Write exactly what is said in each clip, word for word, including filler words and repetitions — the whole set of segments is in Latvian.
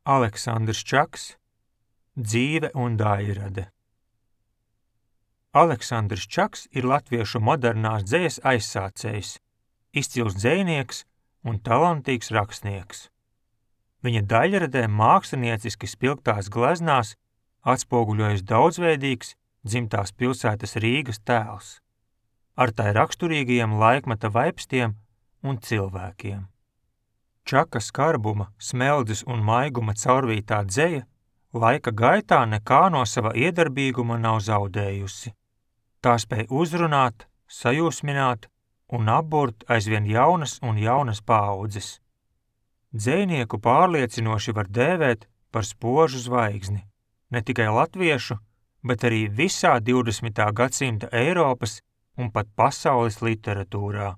Aleksandrs Čaks, Dzīve un daļrade. Aleksandrs Čaks ir latviešu modernās dzejas aizsācējs, izcils dzejnieks un talantīgs rakstnieks. Viņa daļradē mākslinieciski spilgtās gleznās atspoguļojas daudzveidīgs dzimtās pilsētas Rīgas tēls, ar tai raksturīgajiem laikmeta vaipstiem un cilvēkiem. Čaka skarbuma, smeldzes un maiguma caurvītā dzeja laika gaitā nekā no sava iedarbīguma nav zaudējusi. Tā spēj uzrunāt, sajūsmināt un apburt aizvien jaunas un jaunas paaudzes. Dzejnieku pārliecinoši var dēvēt par spožu zvaigzni, ne tikai latviešu, bet arī visā divdesmitā gadsimta Eiropas un pat pasaules literatūrā.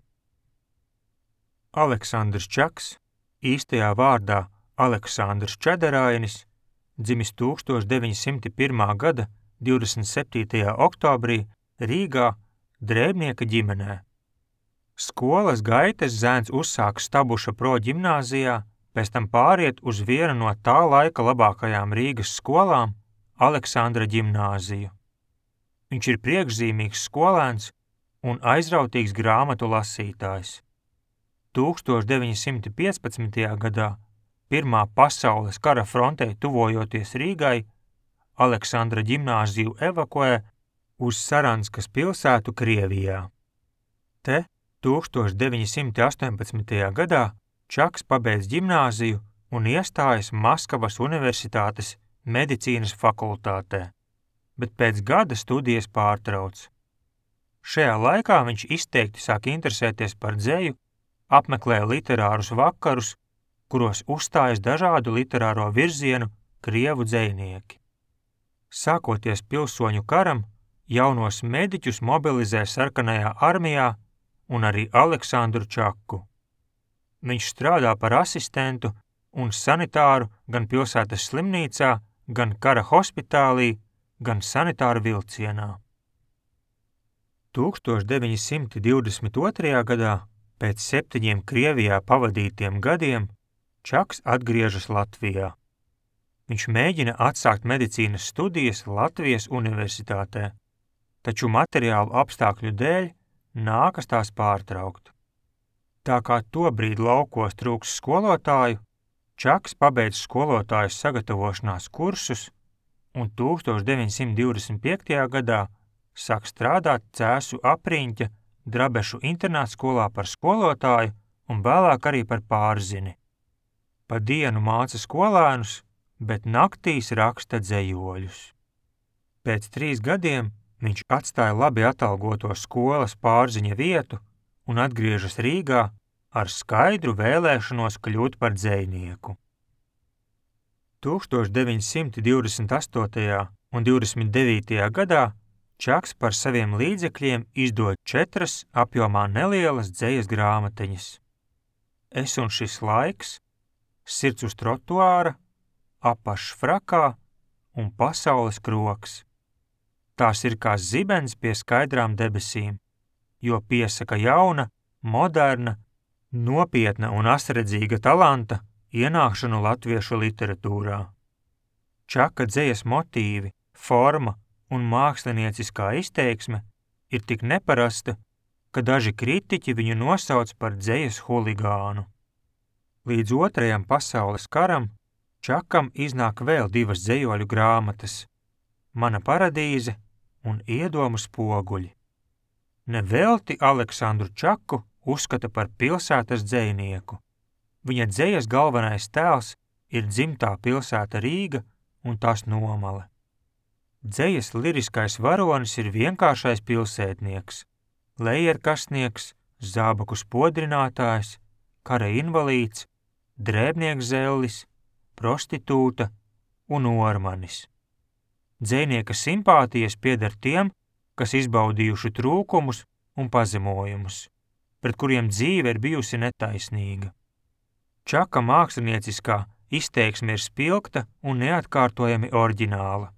Aleksandrs Čaks, īstajā vārdā Aleksandrs Čederainis, dzimis tūkstoš deviņi simti pirmā gada divdesmit septītajā oktobrī Rīgā drēbnieka ģimenē. Skolas gaitas zēns uzsāk Stabuša proģimnāzijā, pēc tam pāriet uz vienu no tā laika labākajām Rīgas skolām, Aleksandra ģimnāziju. Viņš ir priekšzīmīgs skolēns un aizrautīgs grāmatu lasītājs. tūkstoš deviņi simti piecpadsmitajā gadā, Pirmā pasaules kara frontē tuvojoties Rīgai, Aleksandra ģimnāziju evakuē uz Saranskas pilsētu Krievijā. Te tūkstoš deviņi simti astoņpadsmitajā gadā Čaks pabeidz ģimnāziju un iestājas Maskavas universitātes medicīnas fakultātē, bet pēc gada studijas pārtrauc. Šajā laikā viņš izteikti sāk interesēties par dzeju, apmeklē literārus vakarus, kuros uzstājas dažādu literāro virzienu krievu dzejnieki. Sākoties pilsoņu karam, jaunos mediķus mobilizē sarkanajā armijā un arī Aleksandru Čaku. Viņš strādā par asistentu un sanitāru gan pilsētas slimnīcā, gan kara hospitālī, gan sanitāru vilcienā. tūkstoš deviņi simti divdesmit otrajā gadā, pēc septiņiem Krievijā pavadītiem gadiem, Čaks atgriežas Latvijā. Viņš mēģina atsākt medicīnas studijas Latvijas universitātē, taču materiālu apstākļu dēļ nākas tās pārtraukt. Tā kā tobrīd laukos trūks skolotāju, Čaks pabeidz skolotāju sagatavošanās kursus un tūkstoš deviņi simti divdesmit piektajā gadā sāk strādāt Cēsu apriņķa Drabešu internātskolā par skolotāju un vēlāk arī par pārzini. Pa dienu māca skolēnus, bet naktīs raksta dzejoļus. Pēc trīs gadiem viņš atstāja labi atalgoto skolas pārziņa vietu un atgriežas Rīgā ar skaidru vēlēšanos kļūt par dzejnieku. tūkstoš deviņi simti divdesmit astotajā un divdesmit devītajā gadā Čaks par saviem līdzekļiem izdod četras apjomā nelielas dzejas grāmatiņas. Es un šis laiks, Sirds uz trotuāra, Apašs frakā un Pasaules kroks. Tās ir kā zibens pie skaidrām debesīm, jo piesaka jauna, moderna, nopietna un asredzīga talanta ienākšanu latviešu literatūrā. Čaka dzejas motīvi, forma un mākslinieciskā izteiksme ir tik neparasta, ka daži kritiķi viņu nosauc par dzejas huligānu. Līdz otrajam pasaules karam Čakam iznāk vēl divas dzejoļu grāmatas – Mana paradīze un Iedomu spoguļi. Nevelti Aleksandru Čaku uzskata par pilsētas dzejnieku. Viņa dzejas galvenais tēls ir dzimtā pilsēta Rīga un tās nomale. Dzejas liriskais varonis ir vienkāršais pilsētnieks, lejerkastnieks, zābaku spodrinātājs, kara invalīds, drēbnieks zellis, prostitūta un ormanis. Dzejnieka simpātijas pieder tiem, kas izbaudījuši trūkumus un pazemojumus, pret kuriem dzīve ir bijusi netaisnīga. Čaka mākslinieciskā izteiksme ir spilgta un neatkārtojami oriģināla,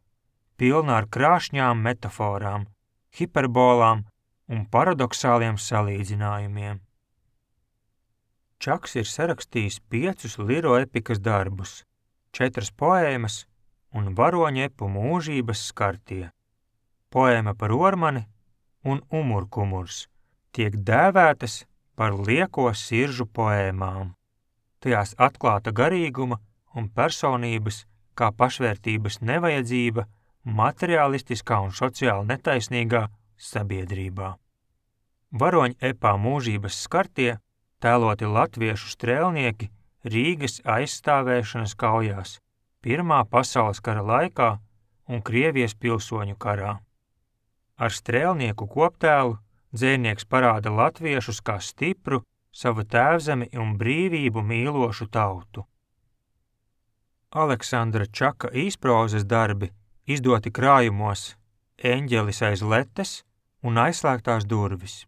pilna ar krāšņām metaforām, hiperbolām un paradoksāliem salīdzinājumiem. Čaks ir sarakstījis piecus liroepikas darbus, četras poēmas un varoņepu mūžības skartie. Poēma par Ormani un Umurkumurs tiek dēvētas par lieko siržu poēmām. Tajās atklāta garīguma un personības kā pašvērtības nevajadzība materiālistiskā un sociāli netaisnīgā sabiedrībā. Varoņepā mūžības skartie tēloti latviešu strēlnieki Rīgas aizstāvēšanas kaujās Pirmā pasaules kara laikā un Krievijas pilsoņu karā. Ar strēlnieku koptēlu dzejnieks parāda latviešus kā stipru, savu tēvzemi un brīvību mīlošu tautu. Aleksandra Čaka īsprozas darbi izdoti krājumos Eņģelis aiz letes un Aizslēgtās durvis.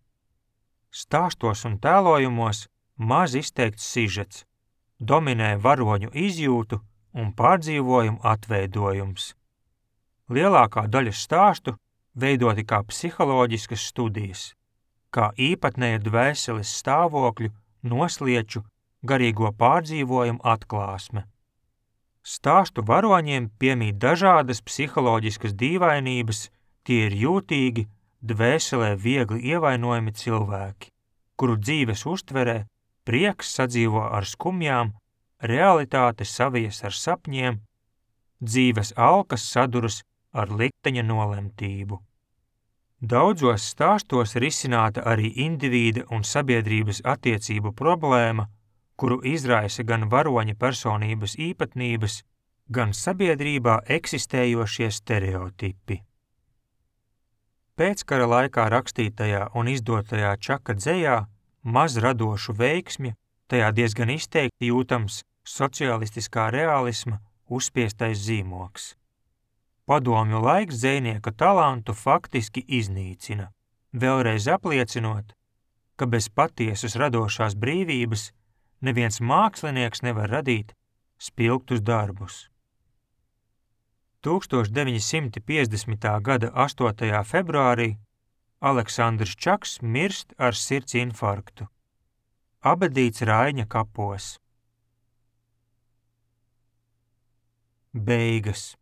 Stāstos un tēlojumos maz izteikts sižets, dominē varoņu izjūtu un pārdzīvojumu atveidojums. Lielākā daļa stāstu veidoti kā psiholoģiskas studijas, kā īpatnēja dvēseles stāvokļu, noslieču, garīgo pārdzīvojumu atklāsme. Stāstu varoņiem piemīt dažādas psiholoģiskas dīvainības, tie ir jūtīgi, dvēselē viegli ievainojami cilvēki, kuru dzīves uztverē prieks sadzīvo ar skumjām, realitāte savijas ar sapņiem, dzīves alkas saduras ar likteņa nolemtību. Daudzos stāstos risināta arī indivīda un sabiedrības attiecību problēma, kuru izraisa gan varoņa personības īpatnības, gan sabiedrībā eksistējošie stereotipi. Pēckara laikā rakstītajā un izdotajā Čaka dzejā maz radošu veiksmi, tajā diezgan izteikti jūtams socialistiskā realisma uzspiestais zīmoks. Padomju laiks dzejnieka talantu faktiski iznīcina, vēlreiz apliecinot, ka bez patiesas radošās brīvības neviens mākslinieks nevar radīt spilgtus darbus. tūkstoš deviņi simti piecdesmitā gada astotajā februārī Aleksandrs Čaks mirst ar sirds infarktu. Abedīts Raiņa kapos. Beigas.